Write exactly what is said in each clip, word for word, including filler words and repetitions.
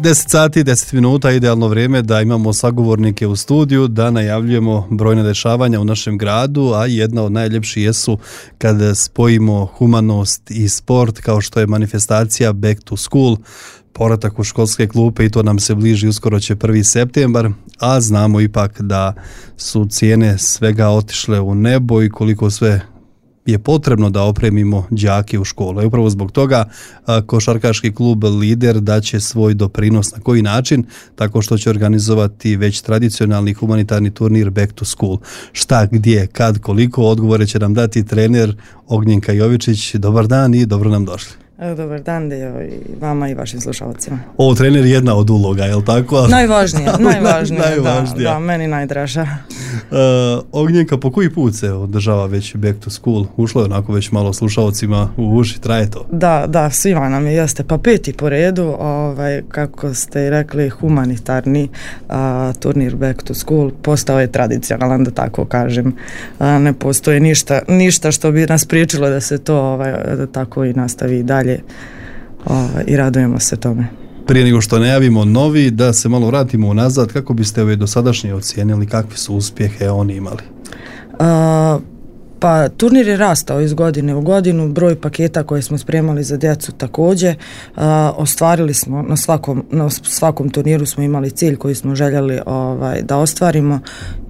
deset sati, deset minuta, idealno vrijeme da imamo sagovornike u studiju, da najavljujemo brojne dešavanja u našem gradu, a jedna od najljepših jesu kad spojimo humanost i sport, kao što je manifestacija Back to School, povratak u školske klupe, i to nam se bliži, uskoro će prvi septembar, a znamo ipak da su cijene svega otišle u nebo i koliko sve je potrebno da opremimo đake u školu. I upravo zbog toga košarkaški klub Lider daće svoj doprinos. Na koji način? Tako što će organizovati već tradicionalni humanitarni turnir Back to School. Šta, gdje, kad, koliko, odgovore će nam dati trener Ognjenka Jovičić. Dobar dan i dobro nam došli. Dobar dan Dejo, i vama i vašim slušalcima. Ovo trener je jedna od uloga, je li tako? Najvažnija, najvažnija, najvažnija. Da, da, meni najdraža. Uh, Ognjenka, po koji put se održava već Back to School? Ušlo je onako već malo slušalcima u uši, traje to? Da, da, svima nam je, jeste, pa peti po redu, ovaj, kako ste i rekli, humanitarni uh, turnir Back to School postao je tradicionalan, da tako kažem. Uh, ne postoji ništa, ništa što bi nas priječilo da se to ovaj, da tako i nastavi dalje. O, i radujemo se tome. Prije nego što najavimo novi, da se malo vratimo unazad, kako biste ove dosadašnje ocijenili, kakve su uspjehe oni imali? A, pa turnir je rastao iz godine u godinu, broj paketa koje smo spremali za djecu također, a, ostvarili smo na svakom, na svakom turniru smo imali cilj koji smo željeli ovaj, da ostvarimo,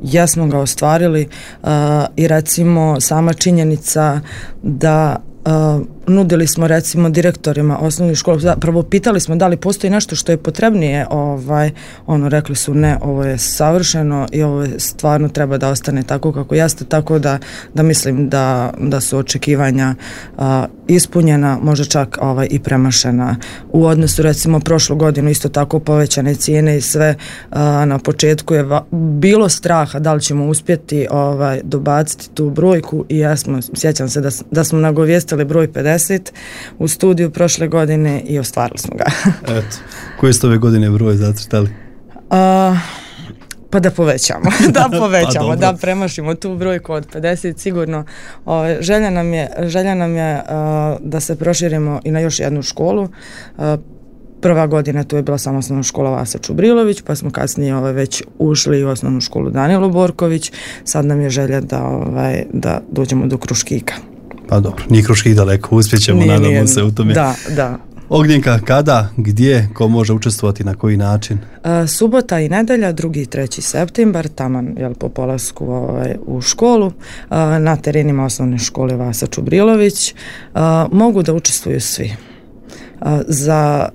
jesmo ga ostvarili, a, i recimo sama činjenica da Uh, nudili smo recimo direktorima osnovnih škola, prvo pitali smo da li postoji nešto što je potrebnije, ovaj, ono rekli su ne, ovo je savršeno i ovo je stvarno treba da ostane tako kako jeste, tako da, da mislim da, da su očekivanja uh, ispunjena, možda čak ovaj, i premašena. U odnosu recimo prošlu godinu isto tako povećane cijene i sve, uh, na početku je va- bilo straha da li ćemo uspjeti ovaj, dobaciti tu brojku i ja smo, sjećam se da, da smo nagovijestili broj pedeset u studiju prošle godine i ostvarili smo ga. Eto, koji ste ove godine broj zacrtali? Uh, pa da povećamo, da povećamo, pa da premašimo tu brojku od pedeset sigurno. O, želja nam je, želja nam je uh, da se proširimo i na još jednu školu. Uh, Prva godina tu je bila samo osnovna škola Vasa Čubrilović, pa smo kasnije ovaj, već ušli u osnovnu školu Danilo Borković. Sad nam je želja da, ovaj, da dođemo do Kruškika. Pa dobro, nije Kruškik daleko, uspjećemo, nije, nadamo nije, se u tome. Da, da. Ognjenka, kada, gdje, ko može učestvovati, na koji način? Uh, subota i nedelja, drugi i treći septembar, taman jel, po polasku ovaj, u školu, uh, na terenima osnovne škole Vasa Čubrilović. Uh, mogu da učestvuju svi. Uh, za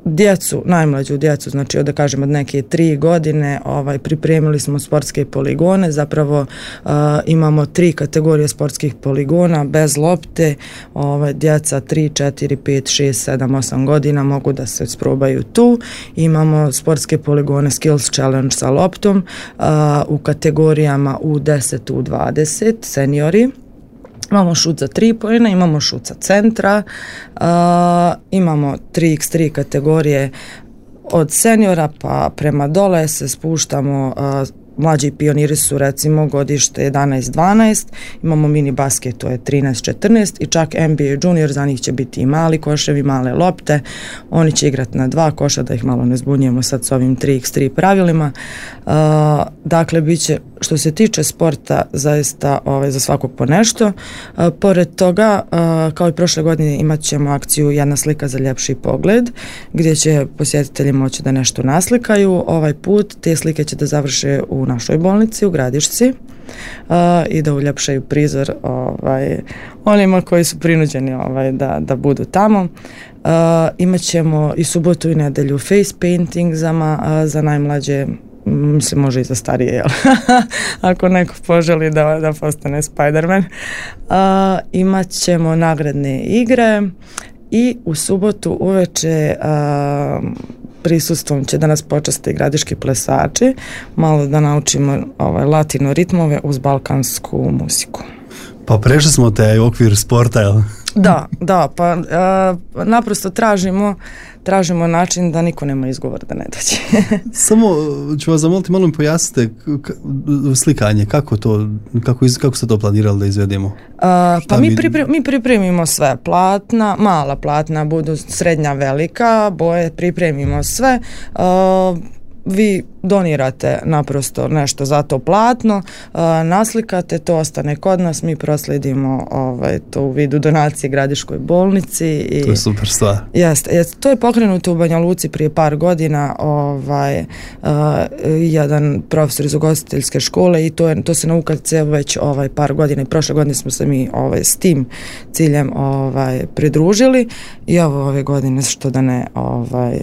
djecu, najmlađu djecu, znači da kažem od neke tri godine, ovaj, pripremili smo sportske poligone, zapravo uh, imamo tri kategorije sportskih poligona bez lopte, ovaj, djeca tri, četiri, pet, šest, sedam, osam godina mogu da se sprobaju tu. Imamo sportske poligone Skills Challenge sa loptom uh, u kategorijama U deset, U dvadeset, seniori. Imamo šut za tri poena, imamo šut sa centra, uh, imamo tri iks tri kategorije od seniora pa prema dole se spuštamo, uh, mlađi pioniri su recimo godište jedanaest dvanaest, imamo mini basket, to je trinaest četrnaest i čak N B A junior, za njih će biti i mali koševi, male lopte, oni će igrati na dva koša, da ih malo ne zbunjujemo sad s ovim tri iks tri pravilima. Uh, dakle, bit će, što se tiče sporta, zaista ovaj, za svakog po nešto. Uh, pored toga, uh, kao i prošle godine, imat ćemo akciju Jedna slika za ljepši pogled, gdje će posjetitelji moći da nešto naslikaju. Ovaj put te slike će da završe u našoj bolnici u Gradišci uh, i da uljepšaju prizor ovaj, onima koji su prinuđeni ovaj, da, da budu tamo. Uh, imat ćemo i subotu i nedelju face painting za, uh, za najmlađe, mislim može i za starije, jel? Ako neko poželi da, da postane Spider-Man. Uh, imat ćemo nagradne igre i u subotu uveče uh, prisustvom će da nas počasti gradiški plesači, malo da naučimo ovaj, latino ritmove uz balkansku muziku. Pa prešli smo taj okvir sporta, jel? Da, da, pa uh, naprosto tražimo tražimo način da niko nema izgovor da ne dođe. Samo ću vas zamoliti, malo mi pojasnite slikanje, kako to, kako, iz, kako ste to planirali da izvedemo? Uh, pa mi, pripre, mi pripremimo sve, platna, mala platna, budu srednja, velika, boje, pripremimo sve, uh, vi donirate naprosto nešto za to platno, uh, naslikate, to ostane kod nas, mi proslijedimo ovaj, to u vidu donacije Gradiškoj bolnici. I, to je super stvar. Jeste, jest, to je pokrenuto u Banja Luci prije par godina, ovaj, uh, jedan profesor iz ugostiteljske škole i to, je, to se na U K C već ovaj, par godina i prošle godine smo se mi ovaj, s tim ciljem ovaj, pridružili i ovo ove godine što da ne ovaj,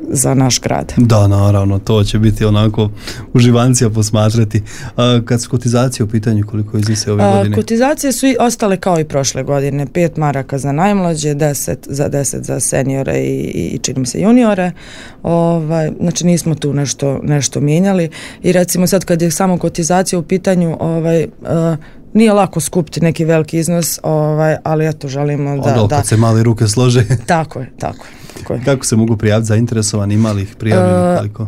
za naš grad. Da, naravno, to će biti onako uživancija posmatrati. A, kad su kotizacije u pitanju, koliko iznose ove godine? A, kotizacije su i ostale kao i prošle godine. Pet maraka za najmlađe, deset za deset za seniore i, i čini mi se juniore. Ovaj, znači nismo tu nešto, nešto mijenjali i recimo sad kad je samo kotizacija u pitanju, ovaj, a, nije lako skupiti neki veliki iznos, ovaj, ali eto želimo da... Ono, da kad se mali ruke slože. Tako je, tako je. Tako je. Kako se mogu prijaviti zainteresovani, ima li ih prijavljeni, koliko?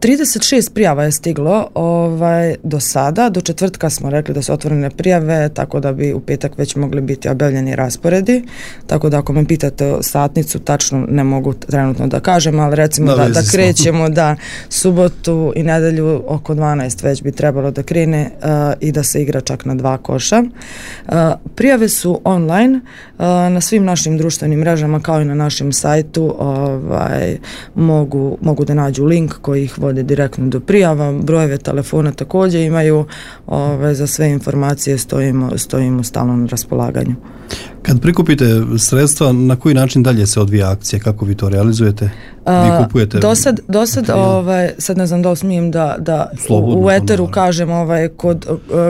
trideset šest prijava je stiglo ovaj, do sada, do četvrtka smo rekli da su otvorene prijave, tako da bi u petak već mogli biti objavljeni rasporedi, tako da ako me pitate satnicu, tačno ne mogu trenutno da kažem, ali recimo da, da krećemo da subotu i nedelju oko dvanaest već bi trebalo da krene uh, i da se igra čak na dva koša. Uh, prijave su online uh, na svim našim društvenim mrežama kao i na našem sajtu, ovaj, mogu, mogu da nađu link koji ih vode direktno do prijava, brojeve telefona također imaju, ove, za sve informacije stojimo, stojimo stalno na raspolaganju. Kad prikupite sredstva, na koji način dalje se odvija akcija, kako vi to realizujete? Vi kupujete? Do sad, do sad ovaj, sad ne znam da li smijem da, da Slobodno, u eteru naravno. kažem ovaj, kod,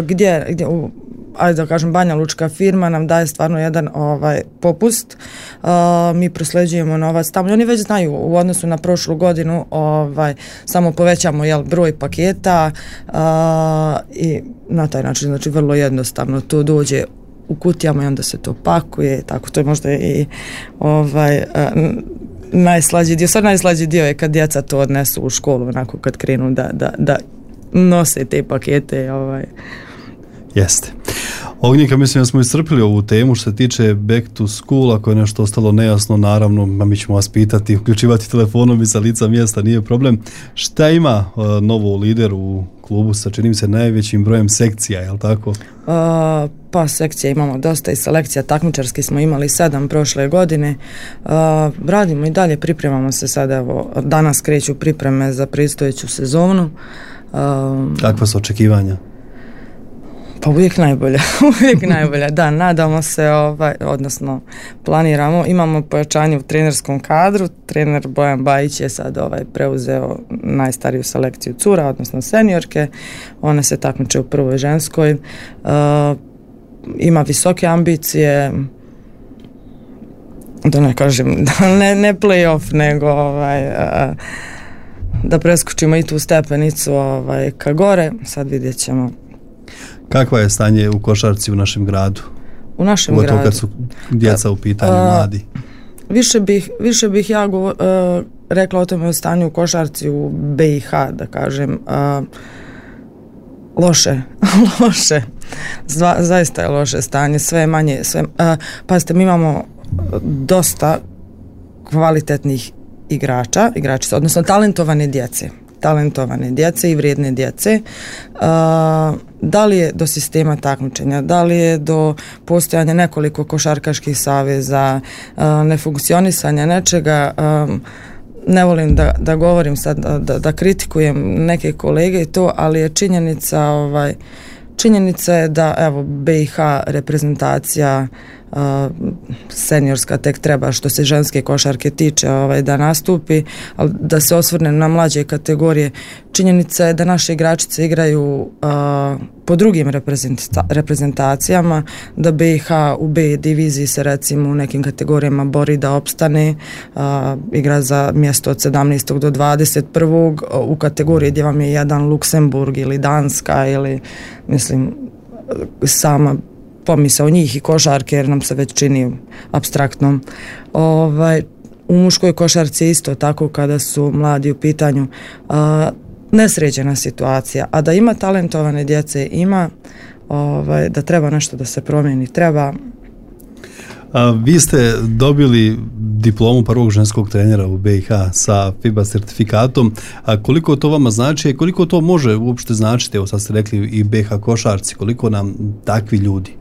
gdje, gdje u, ajde da kažem, Banja Lučka firma nam daje stvarno jedan ovaj popust, uh, mi prosleđujemo novac tamo i oni već znaju u odnosu na prošlu godinu, ovaj, samo povećamo jel, broj paketa uh, i na taj način, znači vrlo jednostavno to dođe u kutijama i onda se to pakuje, tako to je možda i ovaj uh, najslađi dio, sad najslađi dio je kad djeca to odnesu u školu, onako kad krenu da, da, da nose te pakete, ovaj. Jeste. Ognjenka, mislim da smo iscrpili ovu temu što se tiče back to school, ako je nešto ostalo nejasno, naravno, mi ćemo vas pitati, uključivati telefonom i sa lica mjesta, nije problem. Šta ima uh, novo lider u klubu sa, čini mi se, najvećim brojem sekcija, je li tako? Uh, pa sekcija imamo dosta i selekcija, takmičarski smo imali sedam prošle godine, uh, radimo i dalje, pripremamo se sada, evo, danas kreću pripreme za predstojeću sezonu. Uh, Kakva su očekivanja? Pa uvijek najbolja, uvijek najbolja, da, nadamo se, ovaj, odnosno planiramo, imamo pojačanje u trenerskom kadru, trener Bojan Bajić je sad ovaj, preuzeo najstariju selekciju cura, odnosno seniorke, one se takmiče u prvoj ženskoj, uh, ima visoke ambicije, da ne kažem, da ne, ne play-off, nego ovaj, uh, da preskočimo i tu stepenicu ovaj, ka gore, sad vidjet ćemo. Kakva je stanje u košarci u našem gradu? U našem Ugotovo gradu? Kad su djeca u pitanju, a, mladi. Više bih, više bih ja govor, uh, rekla o tome o stanju u košarci u B i H, da kažem. Uh, loše, loše. Zva, zaista je loše stanje, sve manje. Sve, uh, pazite, mi imamo dosta kvalitetnih igrača, igračica, odnosno talentovane djece. talentovane djece i vrijedne djece. Uh, da li je do sistema takmičenja, da li je do postojanja nekoliko košarkaških saveza, uh, nefunkcionisanja nečega, um, ne volim da, da govorim sad, da, da kritikujem neke kolege i to, ali je činjenica, ovaj, činjenica je da evo B i H reprezentacija uh, seniorska tek treba što se ženske košarke tiče ovaj, da nastupi, ali da se osvrne na mlađe kategorije. Činjenica je da naše igračice igraju uh, po drugim reprezenta- reprezentacijama, da B i H u B diviziji se recimo u nekim kategorijama bori da opstane, uh, igra za mjesto od sedamnaestog do dvadeset prvog u kategoriji gdje vam je jedan Luksemburg ili Danska ili mislim sama pomisao njih i košarke jer nam se već čini apstraktnom. Ovaj, u muškoj košarci isto tako kada su mladi u pitanju a, nesređena situacija, a da ima talentovane djece, ima ovaj, da treba nešto da se promijeni, treba. A, vi ste dobili diplomu prvog ženskog trenera u B i H sa FIBA sertifikatom. A koliko to vama znači i koliko to može uopšte značiti, evo sad ste rekli i B i H košarci, koliko nam takvi ljudi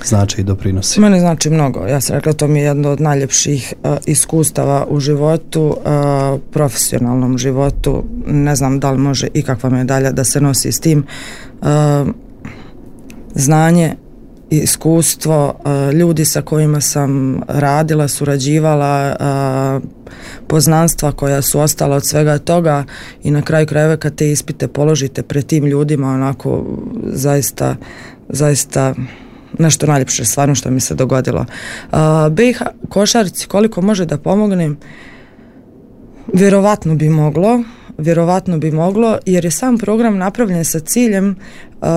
znači i doprinosi? Mene znači mnogo. Ja sam rekla, to mi je jedno od najljepših uh, iskustava u životu, uh, profesionalnom životu. Ne znam da li može ikakva medalja da se nosi s tim. Uh, znanje, iskustvo, uh, ljudi sa kojima sam radila, surađivala, uh, poznanstva koja su ostala od svega toga i na kraju krajeva kad te ispite položite pred tim ljudima, onako zaista, zaista nešto najljepše stvarno što mi se dogodilo. Uh, B i H košarci, koliko može da pomognem? Vjerovatno bi moglo, vjerovatno bi moglo, jer je sam program napravljen sa ciljem uh,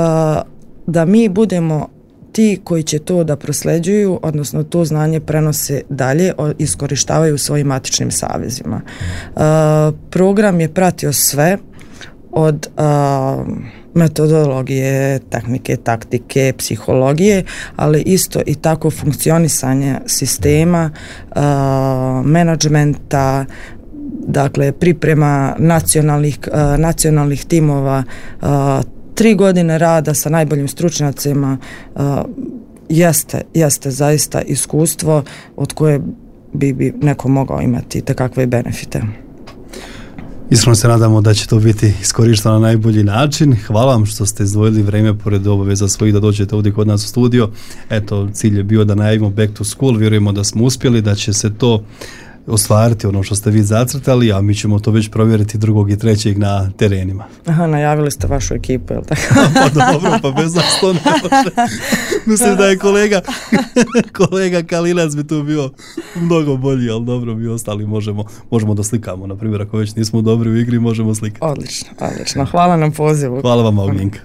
da mi budemo ti koji će to da prosleđuju, odnosno to znanje prenose dalje, iskorištavaju u svojim matičnim savezima. Uh, program je pratio sve od uh, metodologije, tehnike, taktike, psihologije, ali isto i tako funkcionisanje sistema, uh, menadžmenta, dakle priprema nacionalnih, uh, nacionalnih timova, uh, tri godine rada sa najboljim stručnjacima, uh, jeste, jeste zaista iskustvo od koje bi, bi neko mogao imati tekakve benefite. Iskreno se nadamo da će to biti iskorišteno na najbolji način. Hvala vam što ste izdvojili vrijeme pored obaveza svojih da dođete ovdje kod nas u studio. Eto, cilj je bio da najavimo Back to School, vjerujemo da smo uspjeli, da će se to ostvariti ono što ste vi zacrtali, a mi ćemo to već provjeriti drugog i trećeg na terenima. Aha, najavili ste vašu ekipu, je li tako? Pa dobro, pa bez nas to ne može. Mislim da je kolega kolega Kalinac bi tu bio mnogo bolji, ali dobro, mi ostali možemo, možemo da slikamo. Na primjer, ako već nismo dobri u igri, možemo slikati. Odlično, odlično. Hvala na pozivu. Hvala vam, Ognjenka.